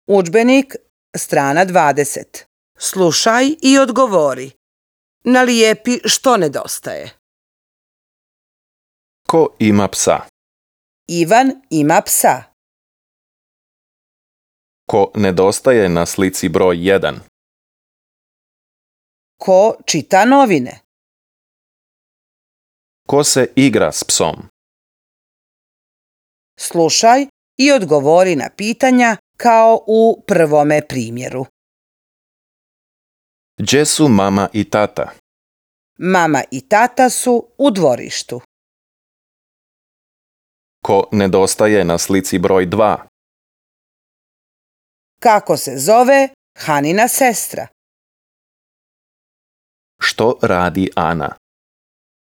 Udžbenik, strana 20. Slušaj i odgovori. Nalijepi što nedostaje. Ko ima psa? Ivan ima psa. Ko nedostaje na slici broj 1? Ko čita novine? Ko se igra s psom? Slušaj i odgovori na pitanja kao u prvome primjeru. Gdje su mama i tata? Mama i tata su u dvorištu. Ko nedostaje na slici broj 2? Kako se zove Hanina sestra? Što radi Ana?